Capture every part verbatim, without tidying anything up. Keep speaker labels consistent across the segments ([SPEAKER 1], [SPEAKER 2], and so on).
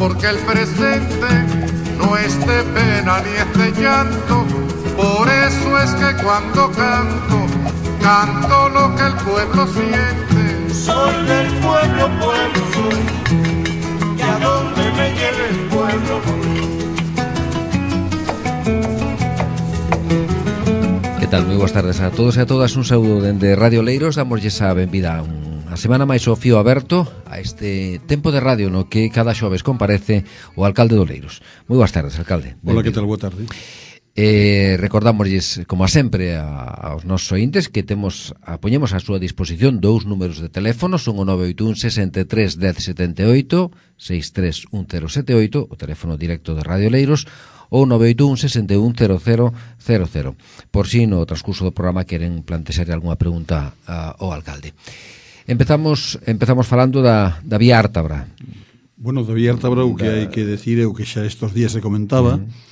[SPEAKER 1] porque el presente no es de pena ni es de llanto. Por eso es que cuando canto, canto lo que el pueblo siente.
[SPEAKER 2] Soy del pueblo, pueblo soy, y a donde me lleve el pueblo voy.
[SPEAKER 3] Que tal? Moi boas tardes a todos e a todas. Un saúdo dende Radio Leiros. Damoslle a benvida a unha semana máis ao fío aberto a este tempo de radio no que cada xoves comparece o alcalde do Leiros. Moi boas tardes, alcalde.
[SPEAKER 4] Hola, que tal? Boa tarde.
[SPEAKER 3] Eh, recordámosles, como a sempre, a, aos nosos ointes que temos a, poñemos a súa disposición dous números de teléfono. Son o nove oito un, sesenta e tres, dez setenta e oito, seis tres un cero sete oito, o teléfono directo de Radio Leiros, ou nove oito un, sesenta e un, cero cero cero cero, por si no transcurso do programa queren plantexar algunha pregunta uh, ao alcalde. Empezamos empezamos falando da, da vía Ártabra.
[SPEAKER 4] Bueno, da vía Ártabra o que da... hai que decir é o que xa estos días se comentaba. Uh-huh.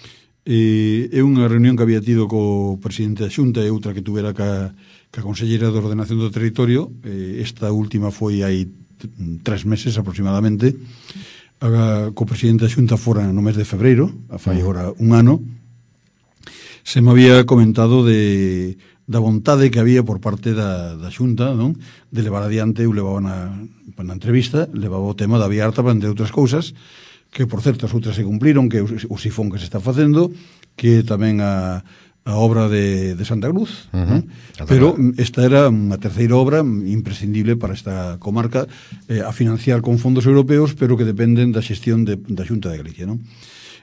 [SPEAKER 4] Eh, é unha reunión que había tido co presidente da Xunta e outra que tuvera ca, ca conselleira de Ordenación do Territorio. Eh, esta última foi hai tres meses aproximadamente. A, co presidente da Xunta fora no mes de febreiro, a fai agora un ano. Se me había comentado de da vontade que había por parte da, da Xunta, non? De levar adiante, eu levaba na, na entrevista, levaba o tema da vía Ártabra, entre outras cousas, que por certo as outras se cumpliron, que o sifón que se está facendo, que tamén a, a obra de, de Santa Cruz, uh-huh. Pero esta era unha terceira obra imprescindible para esta comarca, eh, a financiar con fondos europeos, pero que dependen da xestión de, da Xunta de Galicia, non?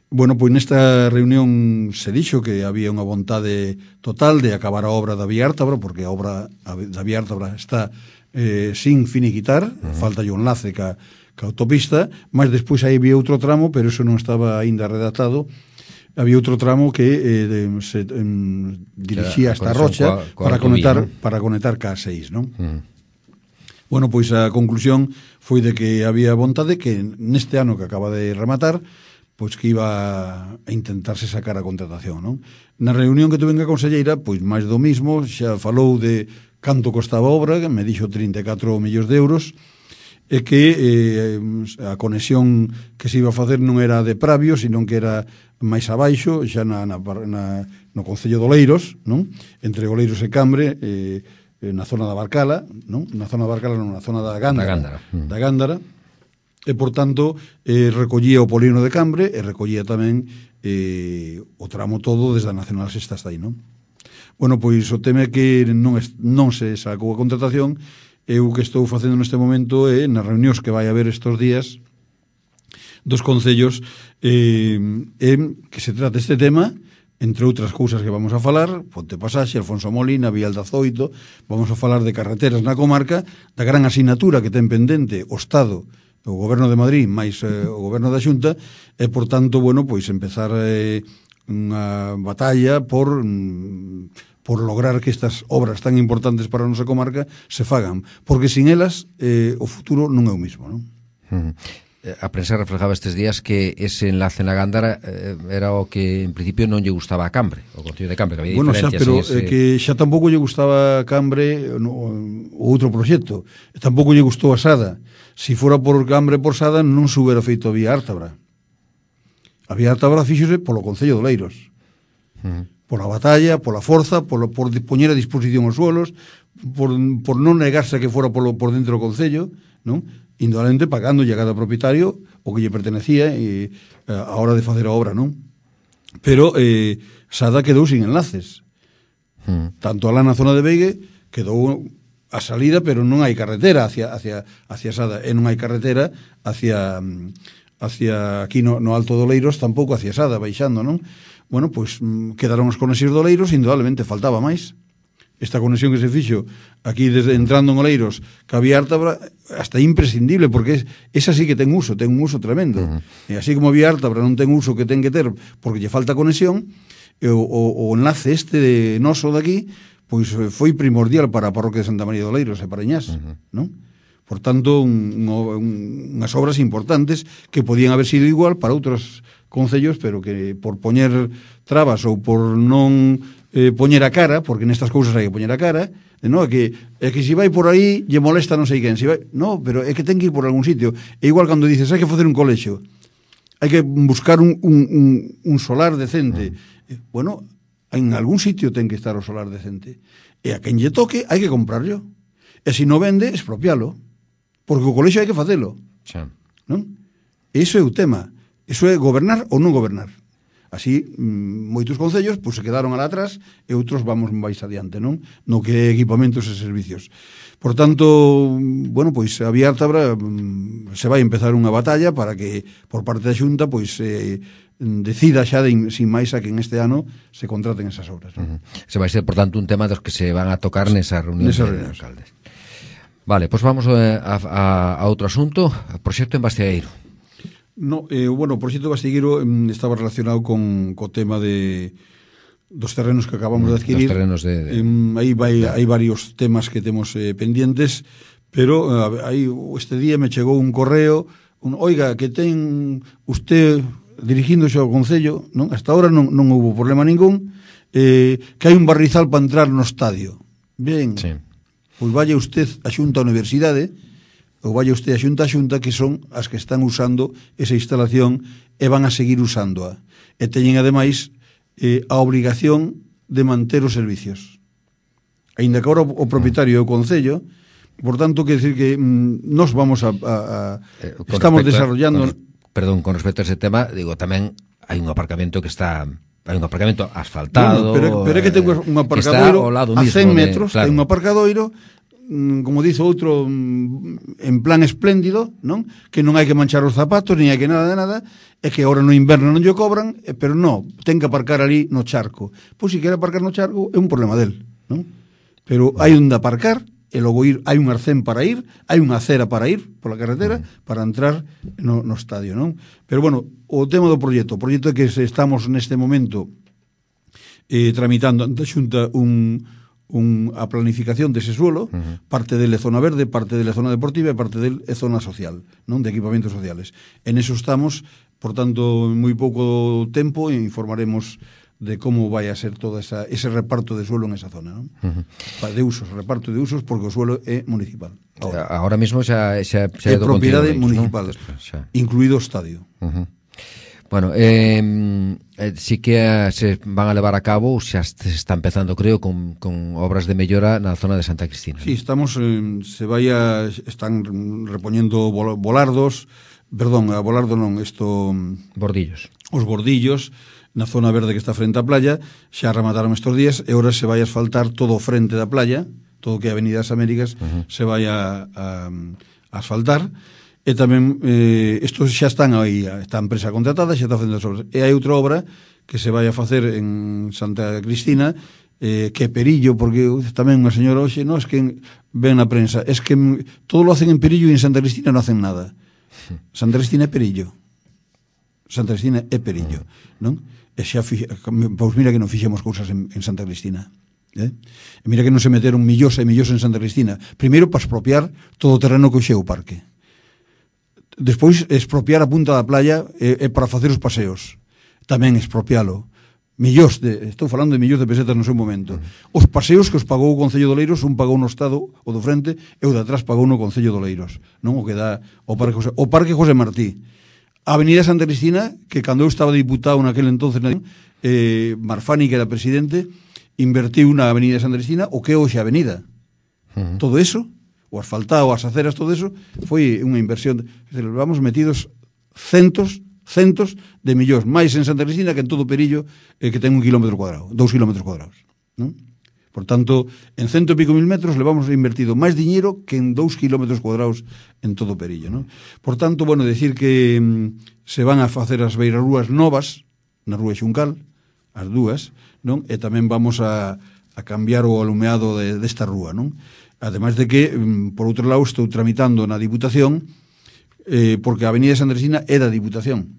[SPEAKER 4] Bueno, pois nesta reunión se dixo que había unha vontade total de acabar a obra da vía Ártabra, porque a obra da vía Ártabra está eh, sin finiquitar, uh-huh. Falta un enlace ca ca autopista, mas despois aí había outro tramo, pero eso non estaba aínda redactado. Había outro tramo que eh, de, se eh, dirixía hasta Rocha coa, coa para conectar ¿no? para conectar ca seis, non? Uh-huh. Bueno, pois a conclusión foi de que había vontade que neste ano que acaba de rematar, pois que iba a intentarse sacar a contratación, non? Na reunión que tuve a conselleira, pois máis do mismo, xa falou de canto costaba a obra, que me dixo trinta e catro millóns de euros, e que eh, a conexión que se iba a facer non era de Pravio, sino que era máis abaixo, xa na, na, na, no Concello de Oleiros, non? Entre Oleiros e Cambre, eh, na zona da Barcala, non? Na zona da Barcala non, na zona da Gándara, da Gándara, mm. da Gándara, e, por tanto, eh, recollía o polígono de Cambre e recollía tamén eh, o tramo todo desde a Nacional Sexta hasta aí, non? Bueno, pois o tema é que non, es, non se sacou a contratación. Eu que estou facendo neste momento é, nas reunións que vai haber estes días dos concellos, eh, é que se trata este tema, entre outras cousas que vamos a falar, Ponte Pasaxe, Alfonso Molina, Vial de Azoito, vamos a falar de carreteras na comarca, da gran asignatura que ten pendente o Estado, o Goberno de Madrid, máis eh, o Goberno da Xunta, e, por tanto, bueno, pois empezar eh, unha batalla por... Mm, por lograr que estas obras tan importantes para a nosa comarca se fagan, porque sin elas eh, o futuro non é o mismo, non?
[SPEAKER 3] Uh-huh. A prensa reflejaba estes días que ese enlace na Gándara eh, era o que en principio non lle gustaba a Cambre, o Concello de Cambre, que había
[SPEAKER 4] bueno,
[SPEAKER 3] diferencias.
[SPEAKER 4] Bueno,
[SPEAKER 3] ese...
[SPEAKER 4] xa, pero eh, que xa tampouco lle gustaba a Cambre no, o outro proxecto, tampouco lle gustou a Sada. Si fora por Cambre por Sada non se hubiera feito a vía Ártabra. A vía Ártabra fíxose polo Concello de Oleiros. Uh-huh. Pola batalla, pola forza, por, por poñer a disposición os suelos, por, por non negarse a que fora polo, por dentro do Concello, non? Indudablemente pagando a cada propietario o que lle pertenecía e, a hora de facer a obra, non? Pero eh, Sada quedou sin enlaces. Hmm. Tanto alá na zona de Veigue quedou a salida, pero non hai carretera hacia, hacia, hacia Sada, e non hai carretera hacia, hacia aquí no, no Alto do Oleiros, tampouco hacia Sada, baixando, non? Bueno, pois quedaron os conexións de Oleiros, indudablemente faltaba máis. Esta conexión que se fixo aquí desde entrando en Oleiros, que había Ártabra, hasta imprescindible, porque esa sí que ten uso, ten un uso tremendo. Uh-huh. E así como había Ártabra non ten uso que ten que ter porque lle falta conexión, o, o, o enlace este de noso daqui, pois foi primordial para a parroquia de Santa María de Oleiros e para Iñás, uh-huh. non? Por tanto, un, un, unhas obras importantes que podían haber sido igual para outros concellos, pero que por poñer trabas ou por non eh, poñer a cara, porque nestas cousas hai que poñer a cara, no, é que, é que se vai por aí lle molesta non sei quen, se vai, no, pero é que ten que ir por algún sitio. É igual cando dices, hai que facer un colexio. hai que buscar un, un, un, un solar decente. Mm. Bueno, en algún sitio ten que estar o solar decente. E a quen lle toque hai que comprarlo. E se non vende, expropialo. Porque o colexio hai que facelo.
[SPEAKER 3] Sí.
[SPEAKER 4] Non? Iso é o tema. Iso é gobernar ou non gobernar. Así, moitos concellos pois, se quedaron alá atrás e outros vamos máis adiante, non? No que é equipamentos e servicios. Por tanto, bueno, pois a Vía Ártabra se vai empezar unha batalla para que, por parte da Xunta, pois eh, decida xa de, sin máis a que en este ano se contraten esas obras. ¿No?
[SPEAKER 3] Uh-huh. Se vai ser, por tanto, un tema dos que se van a tocar nesa reunión
[SPEAKER 4] nesa
[SPEAKER 3] de alcaldes. Vale, pois pues vamos a, a, a outro asunto, o proxecto en Bastegueiro.
[SPEAKER 4] No, eh, bueno, o proxecto Bastegueiro eh, estaba relacionado con co tema de dos terrenos que acabamos de adquirir.
[SPEAKER 3] Dos terrenos de... de...
[SPEAKER 4] Eh, aí vai, hai varios temas que temos eh, pendientes, pero eh, aí este día me chegou un correo, un, oiga, que ten usted dirigíndose ao Concello, non? Hasta ahora non, non houve problema ningún, eh, que hai un barrizal para entrar no estadio. Ben,
[SPEAKER 3] sí.
[SPEAKER 4] Pois vaya usted a Xunta a Universidade, ou vaya usted a Xunta a Xunta, que son as que están usando esa instalación e van a seguir usándoa. E teñen, ademais, eh, a obrigación de manter os servicios. Ainda que agora o propietario é o Concello, por tanto, quer decir que mm, nos vamos a... a, a
[SPEAKER 3] eh,
[SPEAKER 4] estamos desarrollando...
[SPEAKER 3] Con, perdón, con respecto a ese tema, digo, tamén hai un aparcamento que está... Hai un aparcamento asfaltado...
[SPEAKER 4] Bueno, pero, pero é que ten un aparcadoiro a cen metros, de, claro. Ten un aparcadoiro, como dice outro, en plan espléndido, non? Que non hai que manchar os zapatos, nin hai que nada de nada, é que agora no inverno non lle cobran, pero non, ten que aparcar ali no charco. Pois se quere aparcar no charco, é un problema del, non? Pero hai onde aparcar, e logo ir, hai un arcén para ir, hai unha acera para ir pola carretera, para entrar no, no estadio, non? Pero, bueno, o tema do proxecto, o proxecto é que estamos neste momento eh, tramitando ante a Xunta un... Un, a planificación dese suelo, uh-huh. parte dele zona verde, parte dele zona deportiva e parte dele é zona social, non, de equipamentos sociales. En eso estamos, por tanto, en moi pouco tempo informaremos de como vai a ser todo esa, ese reparto de suelo en esa zona, non? Uh-huh. De usos, reparto de usos, porque o suelo é municipal.
[SPEAKER 3] Ahora, Ahora mismo xa, xa, xa
[SPEAKER 4] é propiedade municipal, ¿no? Incluído o estadio.
[SPEAKER 3] Uh-huh. Bueno, eh, eh, sí que eh, se van a levar a cabo, xa se está empezando, creo, con, con obras de mellora na zona de Santa Cristina.
[SPEAKER 4] Sí, estamos, eh, se vai a, están repoñendo volardos, perdón, a volardo non, isto...
[SPEAKER 3] Bordillos.
[SPEAKER 4] Os bordillos, na zona verde que está frente á playa, xa remataron estes días, e ahora se vai a asfaltar todo o frente da playa, todo o que é Avenida das Américas, uh-huh. se vai a, a, a asfaltar. E tamén, eh, estos xa están aí, está a empresa contratada, xa está facendo as obras. E hai outra obra que se vai a facer en Santa Cristina, eh, que é Perillo, porque tamén unha señora hoxe, no, es que ven na prensa, es que todo lo hacen en Perillo e en Santa Cristina non hacen nada. Santa Cristina é Perillo. Santa Cristina é Perillo, non? E xa, pois mira que non fixemos cousas en, en Santa Cristina. Eh? E mira que non se meteron millóns e millóns en Santa Cristina. Primeiro, para expropiar todo o terreno que hoxe é o parque. Despois, expropiar a punta da playa e, e para facer os paseos. Tamén expropialo. Millóns de, estou falando de millóns de pesetas no seu momento. Os paseos que os pagou o Concello de Oleiros, un pagou no Estado, o do frente, e o de atrás pagou no Concello de Oleiros. Non o que dá o Parque José, o Parque José Martí. A Avenida Santa Cristina, que cando eu estaba diputado naquele entonces, eh, Marfani, que era presidente, invertiu na Avenida Santa Cristina, o que é hoxe a avenida. Uh-huh. Todo eso, o asfaltado, as aceras, todo eso, foi unha inversión. Vamos metidos centos, centos de millóns, máis en Santa Cristina que en todo o Perillo, eh, que ten un kilómetro cuadrado, dous kilómetros cuadrados. Non? Por tanto, en cento e pico mil metros levamos invertido máis diñeiro que en dous kilómetros cuadrados en todo o Perillo. Non? Por tanto, bueno, decir que mm, se van a facer as beirarrúas novas na Rúa Xuncal, as dúas, non? E tamén vamos a, a cambiar o alumeado de, desta rúa, non? Ademais de que, por outro lado, estou tramitando na Diputación, eh, porque a Avenida de Santa Cristina é da Diputación.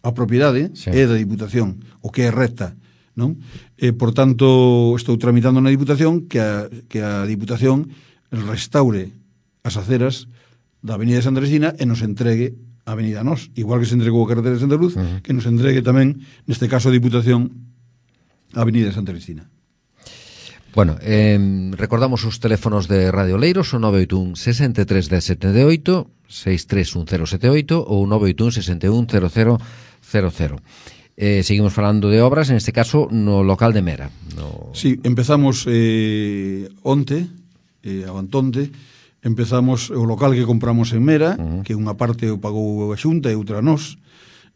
[SPEAKER 4] A propiedade sí. é da Diputación, o que é recta, non? Eh, por tanto, estou tramitando na Diputación que a, que a Diputación restaure as aceras da Avenida de Santa Cristina e nos entregue a Avenida Nós, igual que se entregou a carretera de Santa Luz, uh-huh. que nos entregue tamén, neste caso a Diputación, a Avenida de Santa Cristina.
[SPEAKER 3] Bueno, eh, recordamos os teléfonos de Radio Oleiros, o nove oito un, seis tres, un zero sete oito, seis tres un cero sete oito ou nove oito un, seis un, cero cero cero cero. Eh, seguimos falando de obras, en este caso no local de Mera. No...
[SPEAKER 4] Sí, empezamos eh, onte, eh, abantonte, empezamos o local que compramos en Mera, uh-huh. que unha parte o pagou a Xunta e outra nós,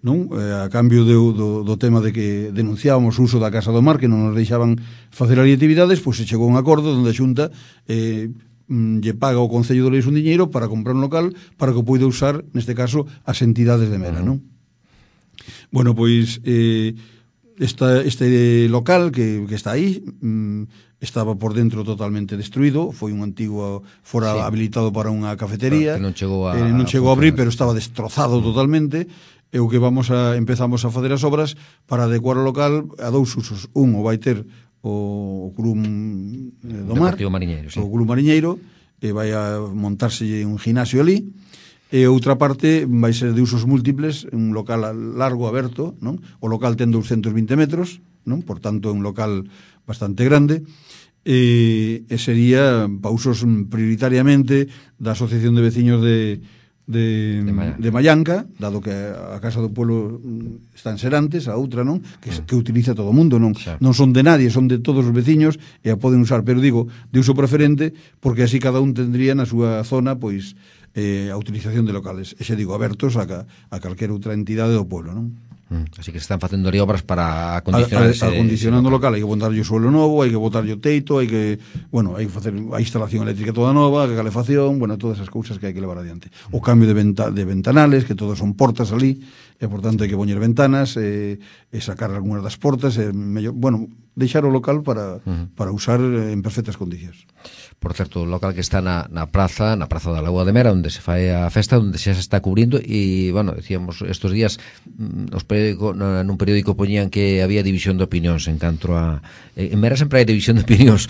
[SPEAKER 4] non? Eh, a cambio de, do, do tema de que denunciábamos o uso da Casa do Mar, que non nos deixaban facer ali actividades, pois se chegou a un acordo onde a Xunta eh, lle paga ao Concello de Oleiros un diñeiro para comprar un local para que o poida usar, neste caso, as entidades de Mera, uh-huh. non? Bueno, pois eh, esta, este local que, que está aí mm, estaba por dentro totalmente destruído, foi un antigo fora sí. habilitado para unha cafetería,
[SPEAKER 3] claro, que non chegou a,
[SPEAKER 4] eh, non chegou a abrir, pero estaba destrozado totalmente, e o que vamos a empezamos a facer as obras para adecuar o local a dous usos. Un o vai ter o, o club eh, do mar,
[SPEAKER 3] Mariñeiro, sí.
[SPEAKER 4] o club mariñeiro, e vai a montarse un gimnasio ali. E outra parte vai ser de usos múltiples, un local largo, aberto, non? O local ten doscientos vinte metros, non? Por tanto, é un local bastante grande, e, e sería para usos prioritariamente da Asociación de Veciños de, de, de, Mayanca. de Mayanca, dado que a Casa do Pueblo está en Serantes, a outra, non? Que, que utiliza todo o mundo, non? Xa. Non son de nadie, son de todos os veciños e a poden usar, pero digo, de uso preferente, porque así cada un tendría na súa zona, pois, eh, a utilización de locales, e xe digo, abertos a, a calquera outra entidade do pueblo, non?
[SPEAKER 3] Mm, así que se están facendo ali obras para acondicionar ese,
[SPEAKER 4] acondicionando ese local. Hai que botarlle o suelo novo, hai que botarlle o teito, hai que, bueno, hai que facer a instalación eléctrica toda nova, a calefacción, bueno, todas esas cousas que hai que levar adiante. O cambio de, venta, de ventanales, que todos son portas ali, e por tanto hai que poñer ventanas, e, e sacar algunhas das portas, e mellor, bueno, deixar o local para, uh-huh. para usar en perfectas condicións.
[SPEAKER 3] Por certo, o local que está na, na praza, na praza da Lagoa de Mera, onde se fai a festa, onde xa se está cubrindo, e, bueno, decíamos, estos días nos periódico, nun periódico poñían que había división de opinións en canto a... En Mera sempre hai división de opinións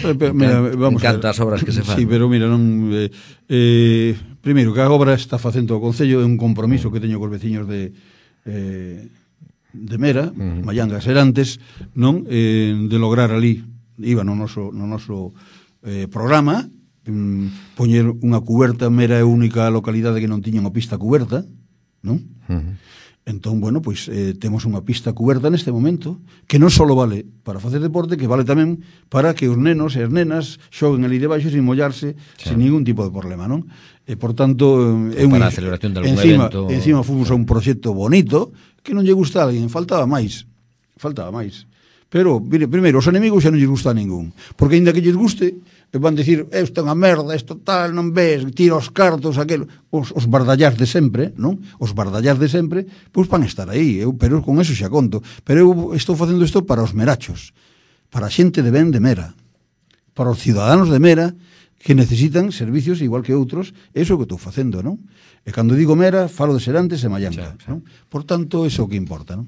[SPEAKER 3] en, mira, vamos en canto ás obras que se fan.
[SPEAKER 4] Sí, pero mira, non... Eh, eh, primeiro, que a obra está facendo o Concello é un compromiso que teño cos veciños de... Eh, de Mera, uh-huh. Mayanga, Serantes, non? Eh, de lograr ali, iba no noso, no noso eh, programa, mm, poñer unha cuberta. Mera é a única localidade que non tiña unha pista cuberta, non? Uh-huh. Entón, bueno, pois eh, temos unha pista cuberta neste momento, que non só vale para facer deporte, que vale tamén para que os nenos e as nenas xoguen ali debaixo sin mollarse, sí. sin ningún tipo de problema, non? E, por tanto, é un,
[SPEAKER 3] para a celebración de algún
[SPEAKER 4] encima,
[SPEAKER 3] evento...
[SPEAKER 4] Encima fomos a un proxecto bonito, que non lle gusta a alguén, faltaba máis, faltaba máis. Pero, mire, primeiro, os enemigos xa non lles gusta a ningún, porque ainda que lles guste, van dicir, isto é unha merda, isto tal, non ves, tira os cartos, aquel, os, os bardallás de sempre, non? Os bardallás de sempre, pois van estar aí, eu, pero con eso xa conto. Pero eu estou facendo isto para os merachos, para a xente de ben de Mera, para os ciudadanos de Mera, que necesitan servicios igual que outros, eso que estou facendo, non? E cando digo Mera, falo de Serantes e Mayanga, xa, xa. Non? Por tanto, eso que importa, non?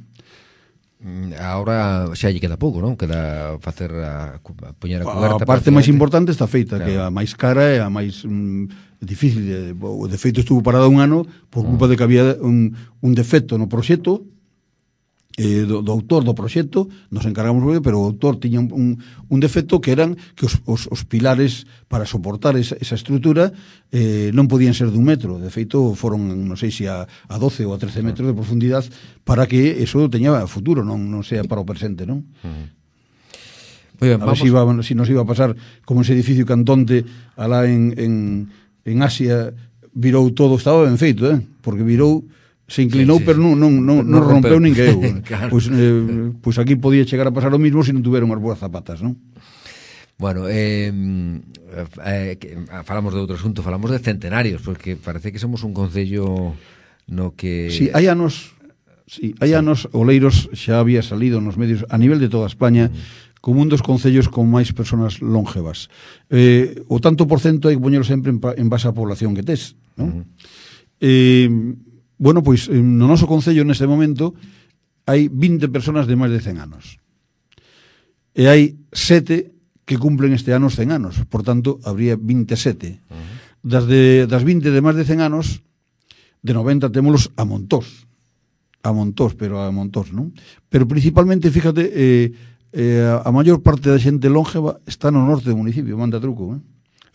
[SPEAKER 3] Agora xa lle queda pouco, non? Queda facer a, a poñer a cuberta.
[SPEAKER 4] A parte máis importante está feita, claro. Que a máis cara e a máis mm, difícil. De, de feito estuvo parada un ano por culpa mm. de que había un, un defecto no proxecto, eh, do, do autor do proxecto, nos encargamos, pero o autor tiña un, un, un defecto que eran que os, os, os pilares para soportar esa, esa estrutura eh, non podían ser dun metro. De feito, foron, non sei se a, a doce ou a trece metros de profundidade para que eso teña futuro, non, non sea para o presente, non? Uh-huh. Muy bien, a ver si, iba, si nos iba a pasar como ese edificio Cantonte alá en, en, en Asia, virou todo, estaba ben feito, eh? Porque virou, se inclinou, sí, sí, pero non, non, non, non rompeu nin que eu. Claro. Pois eh, pues aquí podía chegar a pasar o mismo se non tuveron as boas zapatas, non?
[SPEAKER 3] Bueno, eh, eh, falamos de outro asunto, falamos de centenarios, porque parece que somos un concello no que...
[SPEAKER 4] Si, sí, hai anos, sí, hai sí. anos, Oleiros xa había salido nos medios a nivel de toda España uh-huh. como un dos concellos con máis persoas longevas. Eh, o tanto por cento hai que poñelo sempre en, en base á población que tes, non? Uh-huh. Eh, bueno, pois no noso concello neste momento hai vinte personas de máis de cen anos. E hai sete que cumplen este ano os cen anos, por tanto, habría veintisiete. Uh-huh. Das, de, das vinte de máis de cen anos, de noventa témolos a montós. A montós, pero a montós, non? Pero principalmente, fíjate, eh, eh, a maior parte da xente lóngeva está no norte do municipio, manda truco, eh?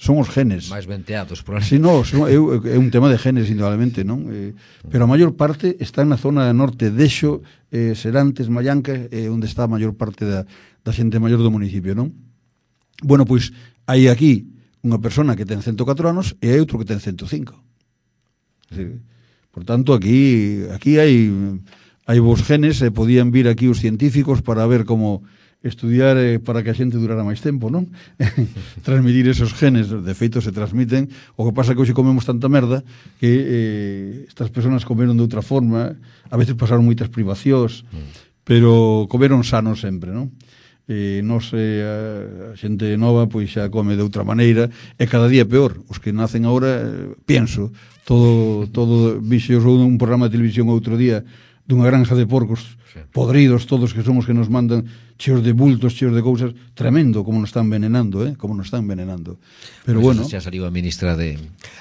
[SPEAKER 4] Son os genes.
[SPEAKER 3] máis venteados, por
[SPEAKER 4] Si, no, son, é, é un tema de genes, indudablemente, non? Eh, pero a maior parte está na zona norte, Dexo, eh, Serantes, Mallanca, eh, onde está a maior parte da, da xente maior do municipio, non? Bueno, pois, hai aquí unha persona que ten ciento catro anos e hai outro que ten ciento cinco. Sí. Por tanto, aquí aquí hai hai vos genes, e podían vir aquí os científicos para ver como estudiar eh, para que a xente durara máis tempo, non? Transmitir esos genes, de feito se transmiten. O que pasa é que hoxe comemos tanta merda que eh, estas persoas comeron de outra forma, a veces pasaron moitas privacións, mm. pero comeron sanos sempre, non? Eh, nos, eh, a xente nova pois xa come de outra maneira, e cada día peor. Os que nacen agora, eh, pienso, todo, todo vixo un programa de televisión outro día dunha granja de porcos podridos, todos que son os que nos mandan cheos de bultos, cheos de cousas, tremendo como nos están envenenando, eh? Como nos están envenenando. Pero
[SPEAKER 3] pues
[SPEAKER 4] bueno,
[SPEAKER 3] xa saliu a ministra de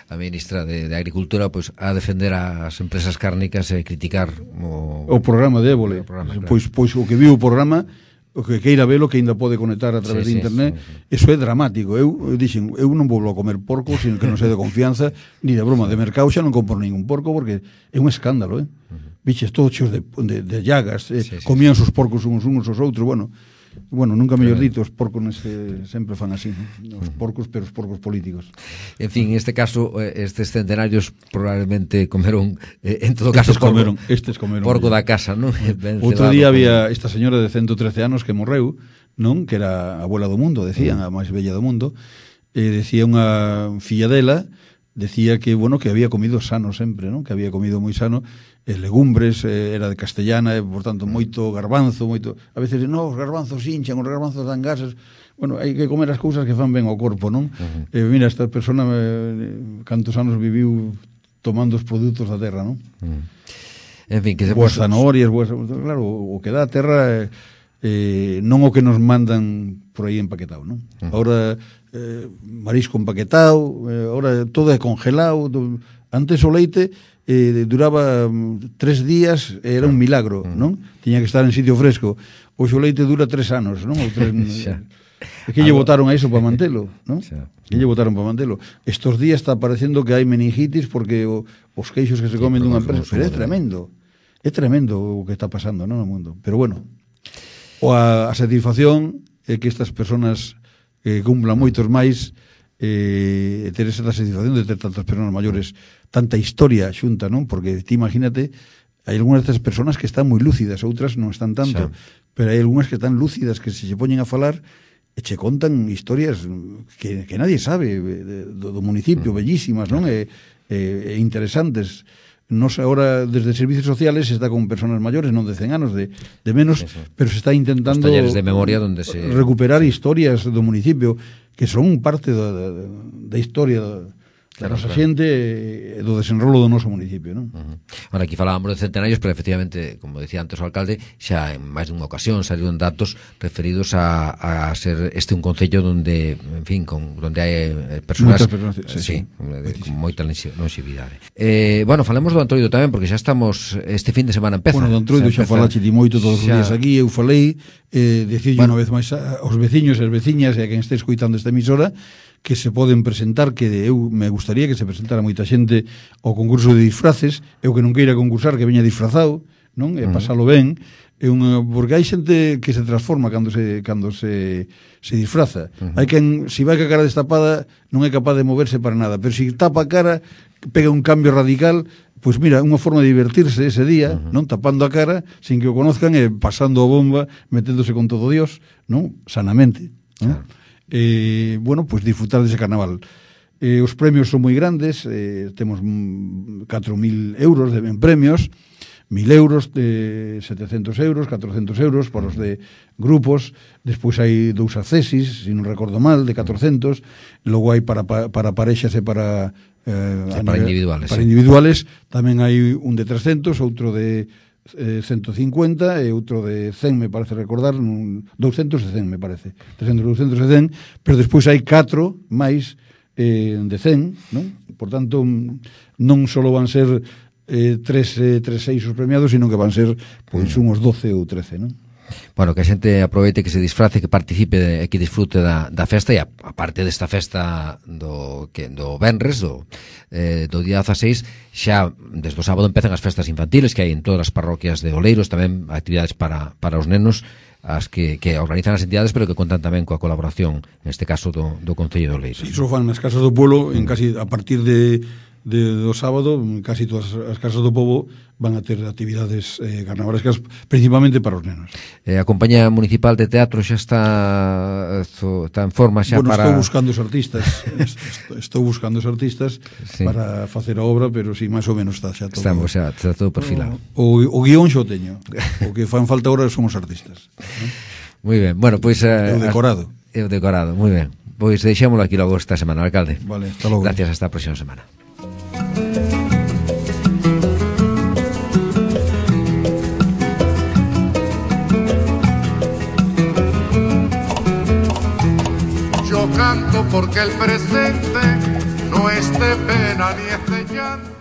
[SPEAKER 3] a ministra de, de Agricultura pois pues, a defender as empresas cárnicas e criticar o,
[SPEAKER 4] o programa de Évole. Programa, claro. Pois pois o que viu o programa, o que queira velo, que ainda pode conectar a través sí, de internet, sí, sí. Eso é dramático. Eu, eu dixen, eu non vou a comer porco, sino que non sei de confianza, ni de broma. De mercado xa non compro ningún porco, porque é un escándalo, eh? Uh-huh. Biches todos cheos de, de, de llagas, eh? Sí, sí, comían sí. Os porcos uns uns os outros, bueno, bueno, nunca mellor dito, os porcos neste, sempre fan así, ¿no? Os porcos, pero os porcos políticos.
[SPEAKER 3] En fin, en este caso, estes centenarios probablemente comeron, eh, en todo caso,
[SPEAKER 4] estes comeron, porco, estes comeron
[SPEAKER 3] porco da casa, non?
[SPEAKER 4] Outro día había esta señora de ciento trece anos que morreu, non? Que era a abuela do mundo, decían, a máis bella do mundo, e decía unha filla dela, decía que, bueno, que había comido sano sempre, non? Que había comido moi sano, e legumbres, eh, era de castellana, e, por tanto, moito garbanzo, moito... A veces, no, os garbanzos hinchan, os garbanzos dan gases... Bueno, hai que comer as cousas que fan ben ao corpo, non? Uh-huh. E mira, esta persona, eh, cantos anos viviu tomando os produtos da terra, non? Uh-huh.
[SPEAKER 3] En fin, que se
[SPEAKER 4] boas zanahorias, boas... Claro, o que dá a terra... Eh, eh, non o que nos mandan por aí empaquetado, non? Uh-huh. Ahora, eh, marisco empaquetado, eh, ahora todo é congelado... Do... Antes o leite... Eh, duraba tres días, era un milagro, non? Tiña que estar en sitio fresco. Hoxe o leite dura tres anos, non? Ou tres... É que lle botaron a iso para mantelo, non? Que lle botaron para mantelo. Estos días está parecendo que hai meningitis porque o, os queixos que se comen dunha empresa, pero é tremendo. É tremendo o que está pasando, non, no mundo. Pero bueno, o a, a satisfacción é que estas persoas eh, cumplan moitos máis, eh, ter esa satisfacción de ter tantas persoas maiores, tanta historia xunta, non? Porque ti imagínate, hai algunhas destas persoas que están moi lúcidas, outras non están tanto, xa. Pero hai algunhas que están lúcidas, que se se poñen a falar e che contan historias que, que nadie sabe do, do municipio, mm. bellísimas, non? E, e, e interesantes. Nos agora, desde servicios sociales, se está con persoas maiores, non de cen anos, de, de menos, sí, sí. Pero se está intentando
[SPEAKER 3] de memoria donde se...
[SPEAKER 4] recuperar historias do municipio que son parte da, da, da historia da, claro, da nosa claro. Xente e do desenrolo do noso municipio, non?
[SPEAKER 3] Uh-huh. Ahora, aquí falábamos de centenarios, pero efectivamente, como decía antes o alcalde, xa en máis dunha ocasión saliron datos referidos a, a ser este un concello donde, en fin, con, donde hai persoas,
[SPEAKER 4] personas sí,
[SPEAKER 3] sí, sí, de, con moita longevidade. Eh, bueno, falemos do Antroido tamén, porque xa estamos, este fin de semana empeza.
[SPEAKER 4] Bueno, do Antroido xa, xa falache ti moito todos xa... os días aquí, eu falei, eh, decirlle bueno. Unha vez máis aos veciños e as veciñas e a quen este escoitando esta emisora, que se poden presentar, que eu me gustaría que se presentara moita xente ao concurso de disfraces, eu que non queira concursar, que veña disfrazado, non? E pasalo ben, é unha, porque hai xente que se transforma cando se cando se se disfraza. Uh-huh. Hai quen, se vai ca cara destapada, non é capaz de moverse para nada, pero se tapa a cara, pega un cambio radical. Pois mira, unha forma de divertirse ese día, uh-huh. non? Tapando a cara, sin que o conozcan, e pasando a bomba, meténdose con todo Dios, non? Sanamente, non? Claro. Eh, bueno, pois pues disfrutar dese carnaval. Eh, os premios son moi grandes, eh, temos catro mil euros de ben premios, mil euros, de setecentos euros, catrocentos euros para os de grupos, despois hai dous accesis, se non recordo mal, de catrocentos, logo hai para, para parexas e para
[SPEAKER 3] eh, para individuales,
[SPEAKER 4] para
[SPEAKER 3] sí.
[SPEAKER 4] individuales, tamén hai un de trescentos, outro de Eh, ciento cincuenta e outro de cen, me parece recordar, un, doscientos e cen, me parece, trescentos, doscientos e cen, pero despois hai catro máis eh, de cen, non? Por tanto, non só van ser eh, tres, eh, tres, seis os premiados, sino que van ser pois unhos doce ou trece, non?
[SPEAKER 3] Bueno, que a xente aproveite, que se disfrace, que participe e que disfrute da, da festa, e a, a parte desta festa do, que, do Venres, do, eh, do día dezaseis, xa desde o sábado empezan as festas infantiles que hai en todas as parroquias de Oleiros, tamén actividades para, para os nenos, as que, que organizan as entidades, pero que contan tamén coa colaboración, neste caso, do, do Concello de Oleiros.
[SPEAKER 4] Iso fan nas casas do pueblo, en casi a partir de de, do sábado, casi todas as casas do pobo van a ter actividades eh, carnavalescas, principalmente para os nenos.
[SPEAKER 3] Eh, a Compañía Municipal de Teatro xa está está en forma xa
[SPEAKER 4] bueno,
[SPEAKER 3] para...
[SPEAKER 4] estou buscando os artistas estou, estou buscando os artistas sí. para facer a obra, pero si, sí, máis ou menos está xa todo.
[SPEAKER 3] Estamos xa, está todo perfilado.
[SPEAKER 4] O, o guión xo teño, o que fan falta agora son os artistas, ¿no?
[SPEAKER 3] Moi ben, bueno, pois...
[SPEAKER 4] Eh, o decorado.
[SPEAKER 3] O decorado, moi ben. Pois deixémolo aquí logo esta semana, alcalde.
[SPEAKER 4] Vale, hasta logo.
[SPEAKER 3] Gracias, hasta a próxima semana.
[SPEAKER 1] Yo canto porque el presente no es de pena ni es de llanto.